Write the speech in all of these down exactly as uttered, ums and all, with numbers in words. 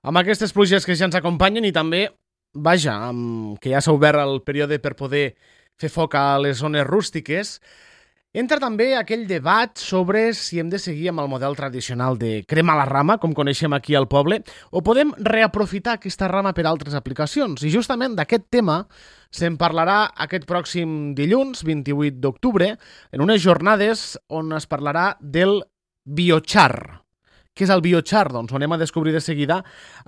Amb aquestes pluges que ja ens acompanyen i també, vaja, amb, que ja s'ha obert el període per poder fer foc a les zones rústiques, entra també aquell debat sobre si hem de seguir amb el model tradicional de cremar la rama, com coneixem aquí al poble, o podem reaprofitar aquesta rama per altres aplicacions. I justament d'aquest tema se'n parlarà aquest pròxim dilluns, vint-i-vuit d'octubre, en unes jornades on es parlarà del biochar. Què és el biochar? Doncs ho anem a descobrir de seguida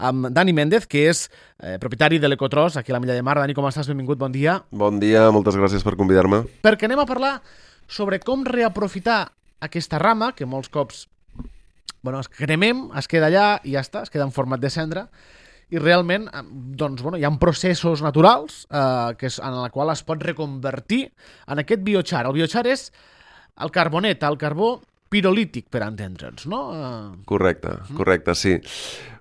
amb Dani Méndez, que és eh, propietari de l'Ecotros, aquí a la Milla de Mar. Dani, com estàs? Benvingut, bon dia. Bon dia, moltes gràcies per convidar-me. Perquè anem a parlar sobre com reaprofitar aquesta rama, que molts cops bueno, es cremem, es queda allà i ja està, es queda en format de cendra, i realment doncs, bueno, hi ha processos naturals eh, que és, en la qual es pot reconvertir en aquest biochar. El biochar és el carbonet, el carbó pirolític, per entendre'ns, no? Correcte, correcte, sí.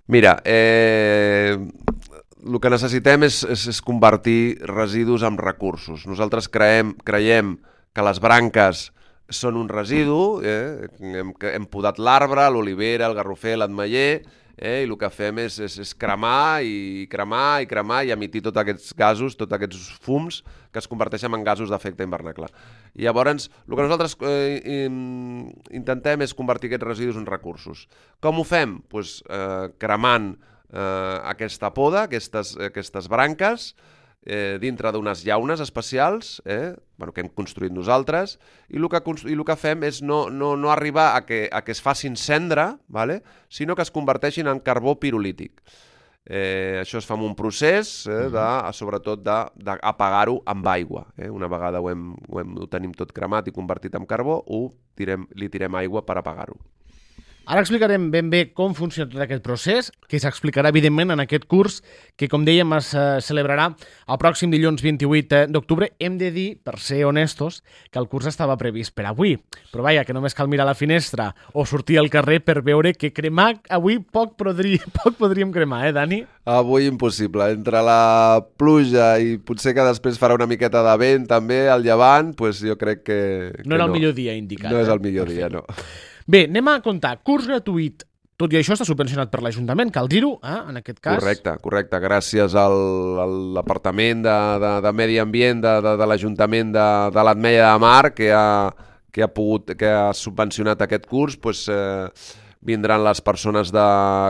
Mira, eh, el que necessitem és, és, és convertir residus en recursos. Nosaltres creiem, creiem que les branques són un residu, eh? hem, hem podat l'arbre, l'olivera, el garrofer, l'ametller, eh? I el que fem és, és, és cremar i cremar i cremar i emitir tots aquests gasos, tots aquests fums que es converteixen en gasos d'efecte hivernacle. I llavors, el que nosaltres eh, intentem és convertir aquests residus en recursos. Com ho fem? Pues, eh, cremant eh, aquesta poda, aquestes, aquestes branques, eh, dintre d'unes llaunes especials eh, bueno, que hem construït nosaltres, i el que, i el que fem és no, no, no arribar a que, a que es facin cendra, vale? Sinó que es converteixin en carbó pirolític. Eh, això es fa amb un procés, eh, de, sobretot d'apagar-ho amb aigua. Eh? Una vegada ho, hem, ho, hem, ho tenim tot cremat i convertit en carbó, ho tirem, li tirem aigua per apagar-ho. Ara explicarem ben bé com funciona tot aquest procés, que s'explicarà evidentment en aquest curs que, com dèiem, es uh, celebrarà el pròxim dilluns vint-i-vuit d'octubre. Hem de dir, per ser honestos, que el curs estava previst per avui, però vaja, que només cal mirar a la finestra o sortir al carrer per veure que cremar avui poc, podri, poc podríem cremar, eh, Dani? Avui impossible. Entre la pluja i potser que després farà una miqueta de vent també al llevant, pues jo crec que... que no era no. el millor dia indicat. No eh? és el millor dia, no. Bé, anem a comptar. Curs gratuït. Tot i això està subvencionat per l'Ajuntament, cal dir-ho, eh? En aquest cas. Correcte, correcte. Gràcies al, a l'Apartament de, de, de Medi Ambient de, de, de l'Ajuntament de, de l'Ametlla de Mar, que ha, que ha, pogut, que ha subvencionat aquest curs, pues, eh, vindran les persones de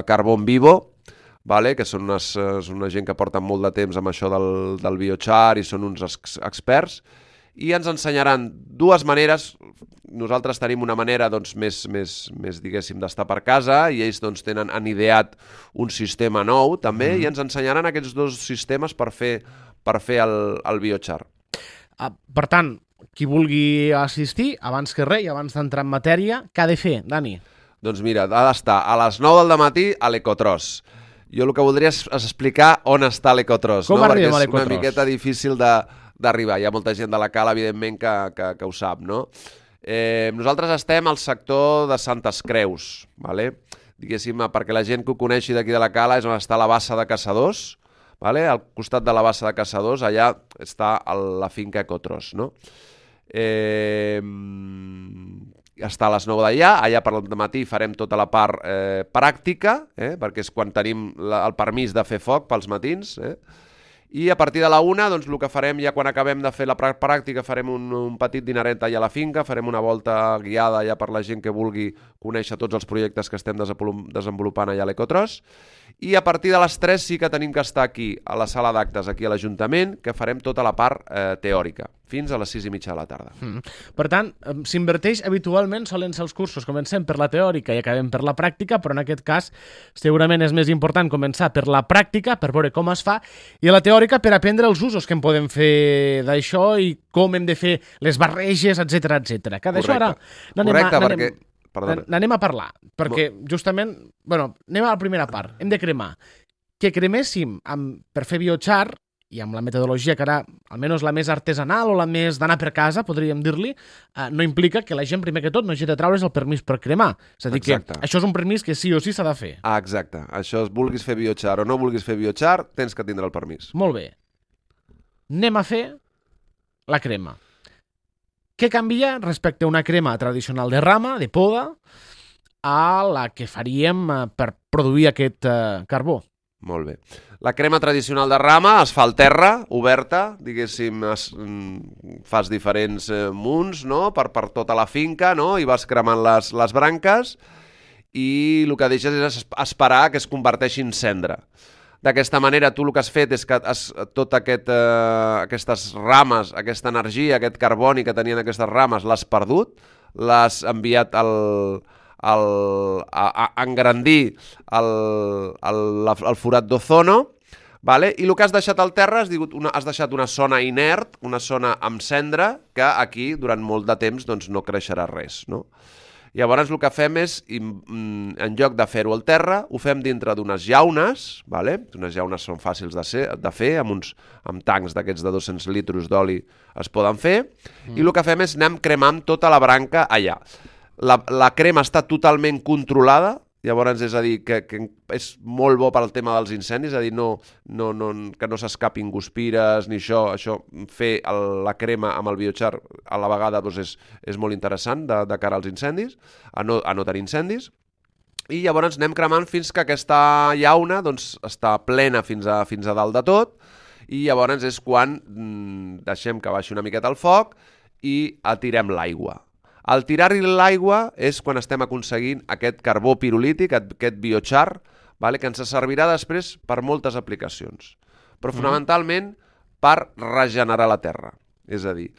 Carbon Vivo, vale? Que són unes, és una gent que porten molt de temps amb això del, del biochar i són uns ex experts, i ens ensenyaran dues maneres. Nosaltres tenim una manera doncs, més, més, més diguéssim, d'estar per casa, i ells doncs, tenen, han ideat un sistema nou també, mm. i ens ensenyaran aquests dos sistemes per fer, per fer el, el biochar. Uh, per tant, qui vulgui assistir, abans que res i abans d'entrar en matèria, què ha de fer, Dani? Doncs mira, ha d'estar a les nou del matí a l'Ecotros. Jo el que voldria és explicar on està l'Ecotros. Com no? arribem a l'Ecotros? l'Ecotros? És una miqueta difícil de... d'arribar. Hi ha molta gent de la cala, evidentment, que, que, que ho sap, no? Eh, nosaltres estem al sector de Santes Creus, vale? Diguéssim, perquè la gent que ho coneixi d'aquí de la cala és on està la bassa de Caçadors, vale? Al costat de la bassa de Caçadors, allà està el, la finca Ecotros, no? Eh, està a les nou d'allà, allà per matí farem tota la part eh, pràctica, eh? Perquè és quan tenim la, el permís de fer foc pels matins, eh? I a partir de la una, doncs, el que farem ja quan acabem de fer la pràctica, farem un, un petit dineret allà a la finca, farem una volta guiada allà per la gent que vulgui conèixer tots els projectes que estem desenvolupant allà a l'Ecotros, i a partir de les tres sí que tenim que estar aquí, a la sala d'actes, aquí a l'Ajuntament, que farem tota la part eh, teòrica, fins a les sis i mitja de la tarda. Mm. Per tant, s'inverteix habitualment, solen ser els cursos, comencem per la teòrica i acabem per la pràctica, però en aquest cas segurament és més important començar per la pràctica, per veure com es fa, i a la teòrica per aprendre els usos que en podem fer d'això i com hem de fer les barreges, etcètera, etcètera. Que d'això ara Correcte, perquè... n'anem a parlar, perquè justament, bueno, anem a la primera part, hem de cremar. Que creméssim amb, per fer biochar, i amb la metodologia que ara, almenys la més artesanal o la més d'anar per casa, podríem dir-li, eh, no implica que la gent, primer que tot, no hagi de traure's el permís per cremar. És a dir, exacte. Que això és un permís que sí o sí s'ha de fer. Ah, exacte. Això, vulguis fer biochar o no vulguis fer biochar, tens que tindre el permís. Molt bé. Anem a fer la crema. Què canvia respecte a una crema tradicional de rama, de poda, a la que faríem per produir aquest eh, carbó? Molt bé. La crema tradicional de rama es fa al terra, oberta, diguéssim, es, fas diferents eh, munts, no?, per, per tota la finca, no?, i vas cremant les, les branques i el que deixes és esperar que es converteixi en cendra. D'aquesta manera, tu el que has fet és que has, tot aquest, eh, aquestes rames, aquesta energia, aquest carboni que tenien aquestes rames, l'has perdut, l'has enviat al... El, a, a engrandir el, el, el forat d'ozono, vale? I el que has deixat al terra has, digut una, has deixat una zona inert, una zona amb cendra, que aquí durant molt de temps doncs, no creixerà res. No? Llavors el que fem és, en lloc de fer-ho al terra, ho fem dintre d'unes llaunes, vale? Unes llaunes són fàcils de, ser, de fer, amb, uns, amb tancs d'aquests de dos-cents litres d'oli es poden fer, mm. i el que fem és anem cremant tota la branca allà. La, la crema està totalment controlada, llavors és a dir, que, que és molt bo per al tema dels incendis, és a dir, no, no, no, que no s'escapin guspires ni això, això fer el, la crema amb el biochar a la vegada doncs és, és molt interessant de, de cara als incendis, a no, a no tenir incendis, i llavors anem cremant fins que aquesta llauna doncs, està plena fins a, fins a dalt de tot, i llavors és quan mm, deixem que baixi una miqueta el foc i atirem l'aigua. Al tirar-hi l'aigua és quan estem aconseguint aquest carbó pirolític, aquest biochar, vale, que ens servirà després per moltes aplicacions, però fonamentalment per regenerar la terra. És a dir,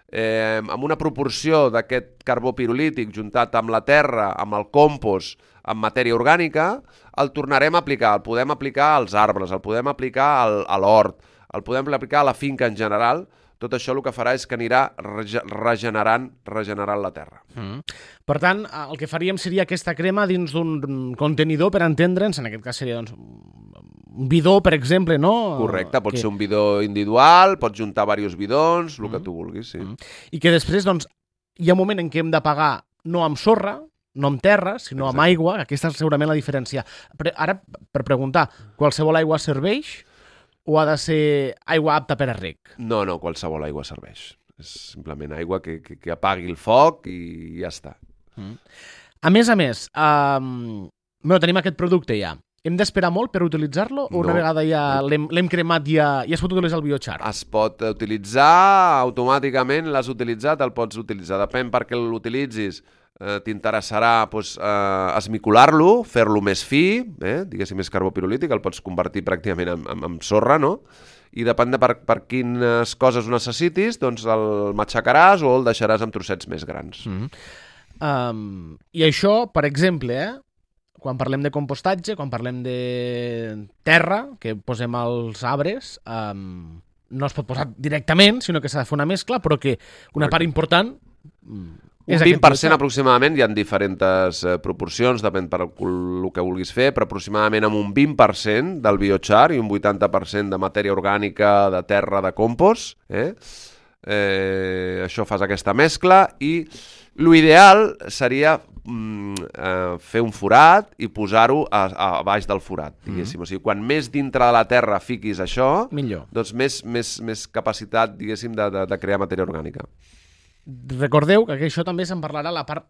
eh, amb una proporció d'aquest carbó pirolític juntat amb la terra, amb el compost, amb matèria orgànica, el tornarem a aplicar. El podem aplicar als arbres, el podem aplicar al, a l'hort, el podem aplicar a la finca en general. Tot això el que farà és que anirà regenerant, regenerant la terra. Mm. Per tant, el que faríem seria aquesta crema dins d'un contenidor, per entendre'ns, en aquest cas seria doncs, un bidó, per exemple, no? Correcte, pot que... ser un bidó individual, pots juntar diversos bidons, el mm. que tu vulguis, sí. Mm. I que després, doncs, hi ha un moment en què hem de pagar no amb sorra, no amb terra, sinó Exacte. Amb aigua, aquesta és segurament la diferència. Però ara, per preguntar, qualsevol aigua serveix? O ha de ser aigua apta per a reg? No, no, qualsevol aigua serveix. És simplement aigua que, que, que apagui el foc i ja està. Mm. A més a més, um, bueno, tenim aquest producte ja. Hem d'esperar molt per utilitzar-lo? O una no. vegada ja l'hem cremat ja, ja es pot utilitzar el biochar? Es pot utilitzar automàticament, l'has utilitzat, el pots utilitzar. Depèn perquè l'utilitzis. Eh, t'interessarà doncs, eh, esmicolar-lo, fer-lo més fi, eh, diguéssim més carbó pirolític, el pots convertir pràcticament en, en, en sorra, no? I depèn de per, per quines coses ho necessitis, doncs el matxacaràs o el deixaràs amb trossets més grans. Mm-hmm. um, I això, per exemple, eh, quan parlem de compostatge, quan parlem de terra, que posem als arbres, um, no es pot posar directament, sinó que s'ha de fer una mescla, però que una Correcte. Part important... Un vint per cent aproximadament, hi ha diferents eh, proporcions, depèn per el que vulguis fer, però aproximadament amb un vint per cent del biochar i un vuitanta per cent de matèria orgànica, de terra, de compost. Eh? Eh, això fas aquesta mescla i l'ideal seria mm, eh, fer un forat i posar-ho a, a baix del forat, diguéssim. Mm-hmm. O sigui, quan més dintre de la terra fiquis això, millor. Doncs més, més, més capacitat, diguéssim, de, de, de crear matèria orgànica. Recordeu que això també se'n parlarà a la part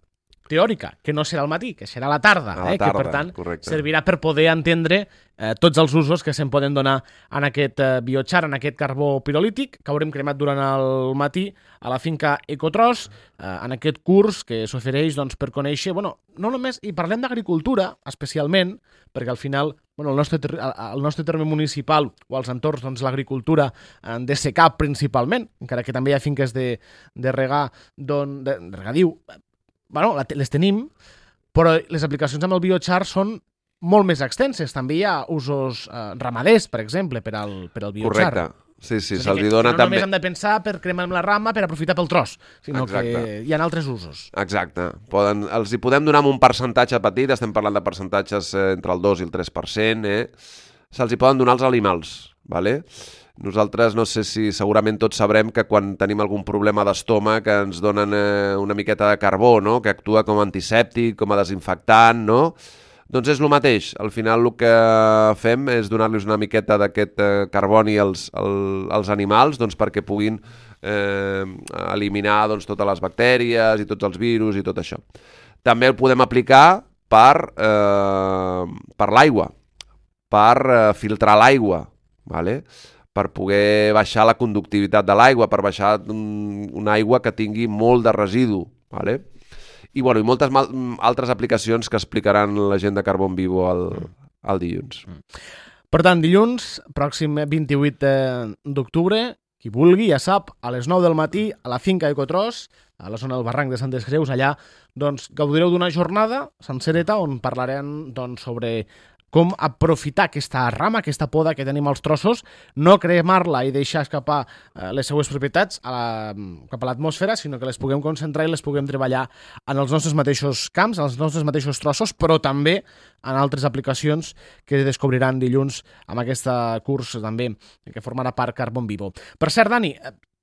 teòrica, que no serà al matí, que serà a la tarda, a la eh? tarda, que per tant correcte. Servirà per poder entendre eh, tots els usos que se'n poden donar en aquest eh, biochar, en aquest carbó pirolític, que haurem cremat durant el matí a la finca Ecotros, eh, en aquest curs que s'ofereix doncs, per conèixer, bueno, no només, i parlem d'agricultura especialment, perquè al final bueno, el, nostre, el nostre terme municipal o als entorns, doncs, l'agricultura eh, de secà principalment, encara que també hi ha finques de, de regar, don, de, de regadiu, bueno, les tenim, però les aplicacions amb el biochar són molt més extenses. També hi ha usos eh, ramaders, per exemple, per al, per al biochar. Correcte. Sí, sí, se'ls dona no també... només hem de pensar per cremar amb la rama per aprofitar pel tros, sinó Exacte. Que hi ha altres usos. Exacte. Poden, els hi podem donar amb un percentatge petit, estem parlant de percentatges eh, entre el dos i el tres per cent, eh? Se'ls hi poden donar als alimals, ¿vale? Nosaltres, no sé si segurament tots sabrem que quan tenim algun problema d'estómac ens donen eh, una miqueta de carbó, no? Que actua com a antisèptic, com a desinfectant, no? Doncs és el mateix. Al final el que fem és donar-los una miqueta d'aquest eh, carboni als, als, als animals doncs, perquè puguin eh, eliminar doncs, totes les bactèries i tots els virus i tot això. També el podem aplicar per, eh, per l'aigua. per eh, filtrar l'aigua, ¿vale? Per poder baixar la conductivitat de l'aigua, per baixar un, una aigua que tingui molt de residu, ¿vale? I, bueno, i moltes mal, altres aplicacions que explicaran la gent de Carbon Vivo el, el dilluns. Per tant, dilluns, pròxim vint-i-vuit d'octubre, qui vulgui, ja sap, a les nou del matí, a la finca Ecotros, a la zona del barranc de Santes Creus, allà doncs, gaudireu d'una jornada sencereta on parlarem doncs, sobre com aprofitar aquesta rama, aquesta poda que tenim als trossos, no cremar-la i deixar escapar eh, les seues propietats a la, cap a l'atmosfera, sinó que les puguem concentrar i les puguem treballar en els nostres mateixos camps, en els nostres mateixos trossos, però també en altres aplicacions que descobriran dilluns amb aquest curs també que formarà part Carbon Vivo. Per cert, Dani,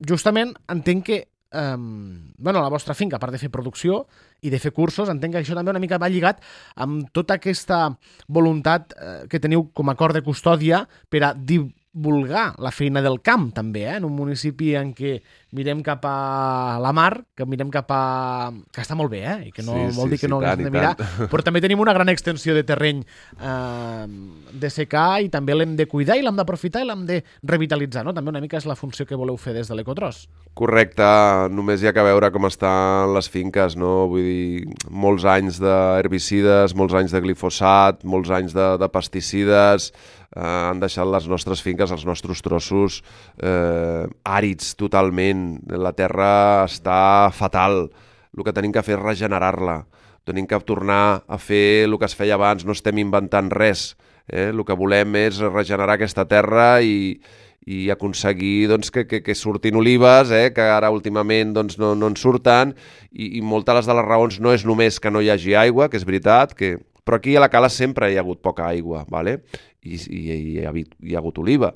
justament entenc que Um, bueno, la vostra finca, a part de fer producció i de fer cursos, entenc que això també una mica va lligat amb tota aquesta voluntat eh, que teniu com a cor de custòdia per a divulgar la feina del camp, també, eh? En un municipi en què mirem cap a la mar, que mirem cap a... que està molt bé, eh? I que no sí, vol sí, dir que sí, no tant, haguem de mirar, però també tenim una gran extensió de terreny eh, de secar i també l'hem de cuidar i l'hem d'aprofitar i l'hem de revitalitzar, no? També una mica és la funció que voleu fer des de l'Ecotros. Correcte, només hi ha que veure com estan les finques, no? Vull dir, molts anys d'herbicides, molts anys de glifosat, molts anys de, de pesticides, eh, han deixat les nostres finques, els nostres trossos eh, àrids totalment. La terra està fatal. El que tenim que fer és regenerar-la. Tenim que tornar a fer el que es feia abans, no estem inventant res. Eh? El que volem és regenerar aquesta terra i i aconseguir doncs, que, que, que surtin olives, eh, que ara últimament doncs, no, no en surten, i, i moltes de les raons no és només que no hi hagi aigua, que és veritat, que... però aquí a la cala sempre hi ha hagut poca aigua, ¿vale? I, i, i hi, ha, hi ha hagut oliva.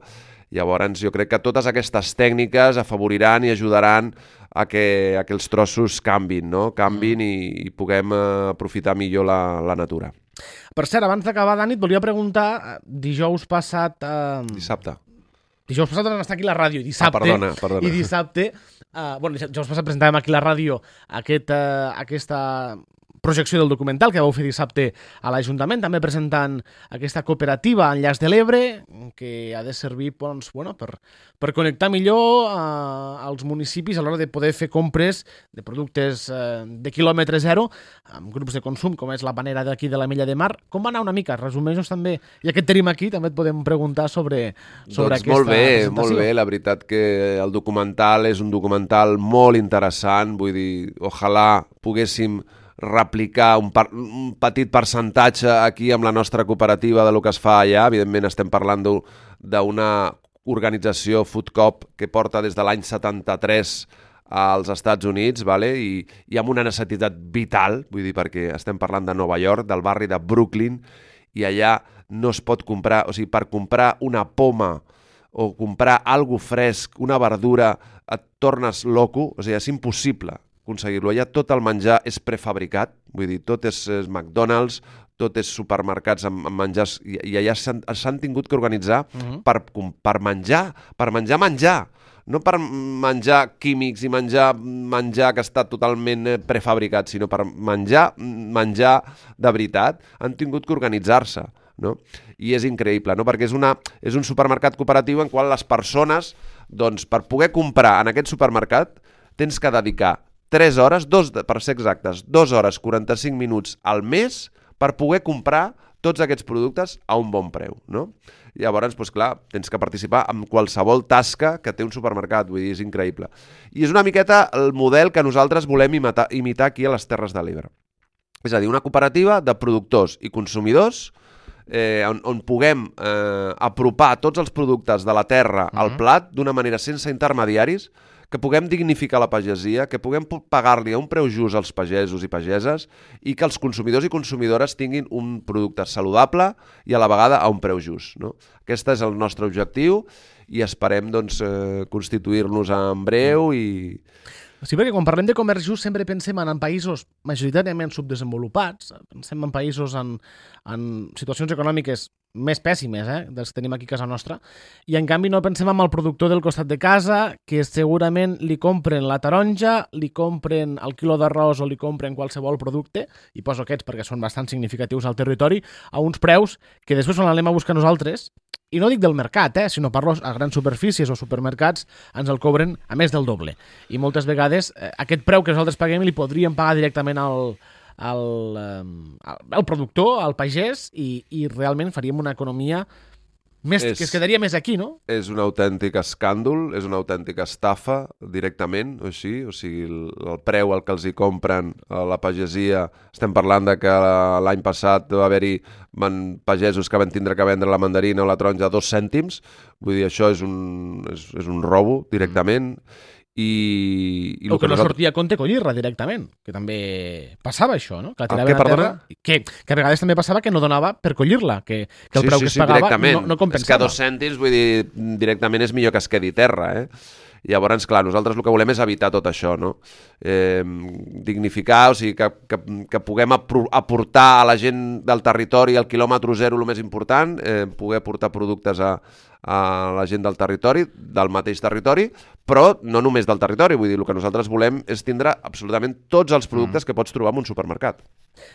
Llavors jo crec que totes aquestes tècniques afavoriran i ajudaran a que, a que els trossos canvin, no? canvin i, i puguem eh, aprofitar millor la, la natura. Per cert, abans d'acabar, Dani, et volia preguntar, dijous passat... Eh... Dissabte. Dijous passat vam estar aquí a la ràdio, dissabte, ah, perdona, perdona. i dissabte, uh, bueno, dijous passat presentàvem aquí a la ràdio aquest, uh, aquesta projecció del documental que vau fer dissabte a l'Ajuntament, també presentant aquesta cooperativa Enllaç de l'Ebre, que ha de servir doncs, bueno, per, per connectar millor uh, als municipis a l'hora de poder fer compres de productes uh, de quilòmetre zero, amb grups de consum, com és la panera d'aquí de la Mella de Mar. Com va anar una mica? Resumeix-nos també, ja que et tenim aquí, també et podem preguntar sobre, sobre doncs aquesta molt bé, presentació. Molt bé, la veritat que el documental és un documental molt interessant, vull dir, ojalà poguéssim replicar un, par un petit percentatge aquí amb la nostra cooperativa de lo que es fa allà. Evidentment estem parlant d'una organització Food Coop que porta des de l'any setanta-tres als Estats Units, vale? I, i amb una necessitat vital, vull dir, perquè estem parlant de Nova York, del barri de Brooklyn, i allà no es pot comprar, o sigui, per comprar una poma o comprar algo fresc, una verdura, et tornes loco, o sigui, és impossible aconseguir-lo. Allà tot el menjar és prefabricat, vull dir, tot és, és McDonald's, tot és supermercats amb, amb menjars, i, i allà s'han tingut que organitzar uh-huh. per, per menjar, per menjar menjar, no per menjar químics i menjar menjar que està totalment prefabricat, sinó per menjar menjar de veritat, han tingut que organitzar-se, no? I és increïble, no? Perquè és, una, és un supermercat cooperatiu en qual les persones, doncs, per poder comprar en aquest supermercat, tens que dedicar tres hores, dos, per ser exactes, dues hores quaranta-cinc minuts al mes per poder comprar tots aquests productes a un bon preu, no? Llavors, doncs clar, tens que participar en qualsevol tasca que té un supermercat, vull dir, és increïble. I és una miqueta el model que nosaltres volem imitar, imitar aquí a les Terres de l'Ebre. És a dir, una cooperativa de productors i consumidors eh, on, on puguem eh, apropar tots els productes de la terra al plat d'una manera sense intermediaris, que puguem dignificar la pagesia, que puguem pagar-li a un preu just als pagesos i pageses i que els consumidors i consumidores tinguin un producte saludable i a la vegada a un preu just, no? Aquest és el nostre objectiu i esperem doncs, eh, constituir-nos en breu i... Sí, perquè quan parlem de comerç just sempre pensem en països majoritàriament subdesenvolupats, pensem en països en, en situacions econòmiques més pèssimes, eh, dels que tenim aquí a casa nostra, i en canvi no pensem en el productor del costat de casa, que segurament li compren la taronja, li compren el quilo d'arròs o li compren qualsevol producte, i poso aquests perquè són bastant significatius al territori, a uns preus que després quan l'anem a buscar nosaltres, i no dic del mercat, eh, sinó parlo a grans superfícies o supermercats, ens el cobren a més del doble. I moltes vegades eh, aquest preu que nosaltres paguem li podríem pagar directament al, al, al, al productor, al pagès, i, i realment faríem una economia més, és, que es quedaria més aquí, no? És un autèntic escàndol, és una autèntica estafa directament, o així, o sigui, el, el preu al que els hi compren a la pagesia, estem parlant de que l'any passat va haver-hi pagesos que van tindre que vendre la mandarina o la taronja a dos cèntims, vull dir, això és un, és, és un robo directament, i... i o que, que no nosaltres... sortia a compte collir-la directament, que també passava això, no? Que la què, perdona? Que, que a vegades també passava que no donava per collir-la, que, que el sí, preu sí, que es sí, pagava no, no compensava. És que a dos cèntims, vull dir, directament és millor que es quedi terra, eh? Llavors, clar, nosaltres el que volem és evitar tot això, no? Eh, dignificar, o sigui, que, que, que puguem aportar a la gent del territori al quilòmetre zero el més important, eh, poder aportar productes a, a la gent del territori, del mateix territori, però no només del territori, vull dir, el que nosaltres volem és tindre absolutament tots els productes mm. que pots trobar en un supermercat.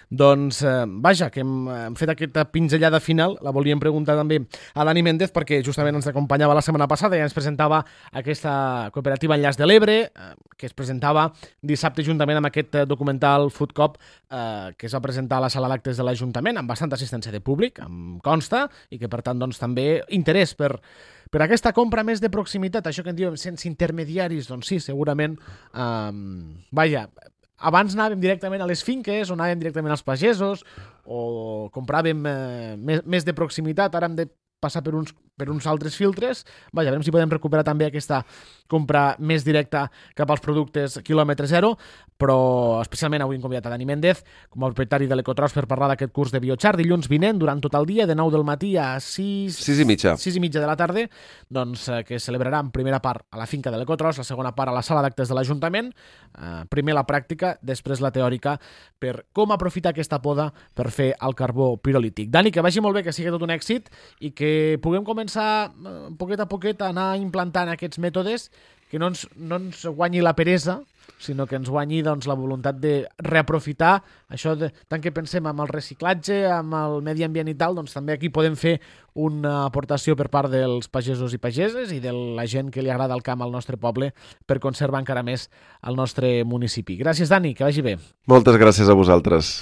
Doncs, eh, vaja, que hem, hem fet aquesta pinzellada final, la volíem preguntar també a Dani Méndez, perquè justament ens acompanyava la setmana passada i ens presentava aquesta cooperativa Enllaç de l'Ebre, eh, que es presentava dissabte juntament amb aquest documental Food Cop, eh, que es va presentar a la sala d'actes de l'Ajuntament, amb bastanta assistència de públic, em consta, i que per tant doncs, també interès per, per aquesta compra més de proximitat, això que en diuen sense intermediaris, doncs sí, segurament, eh, vaja, abans anàvem directament a les finques o anàvem directament als pagesos o compràvem eh, més, més de proximitat, ara hem de passar per uns, per uns altres filtres. Vaja, veurem si podem recuperar també aquesta compra més directa cap als productes quilòmetre zero, però especialment avui hem convidat a Dani Méndez com a propietari de l'Ecotros per parlar d'aquest curs de biochar dilluns vinent durant tot el dia, de nou del matí a sis, sis i mitja. sis i mitja de la tarda, doncs, eh, que es celebrarà en primera part a la finca de l'Ecotros, la segona part a la sala d'actes de l'Ajuntament, eh, primer la pràctica, després la teòrica, per com aprofitar aquesta poda per fer el carbó pirolític. Dani, que vagi molt bé, que sigui tot un èxit i que puguem començar eh, poquet a poquet a anar implantant aquests mètodes, que no ens, no ens guanyi la peresa, sinó que ens guanyi doncs, la voluntat de reaprofitar això, de, tant que pensem amb el reciclatge, amb el medi ambient i tal, doncs també aquí podem fer una aportació per part dels pagesos i pageses i de la gent que li agrada el camp al nostre poble per conservar encara més el nostre municipi. Gràcies, Dani, que vagi bé. Moltes gràcies a vosaltres.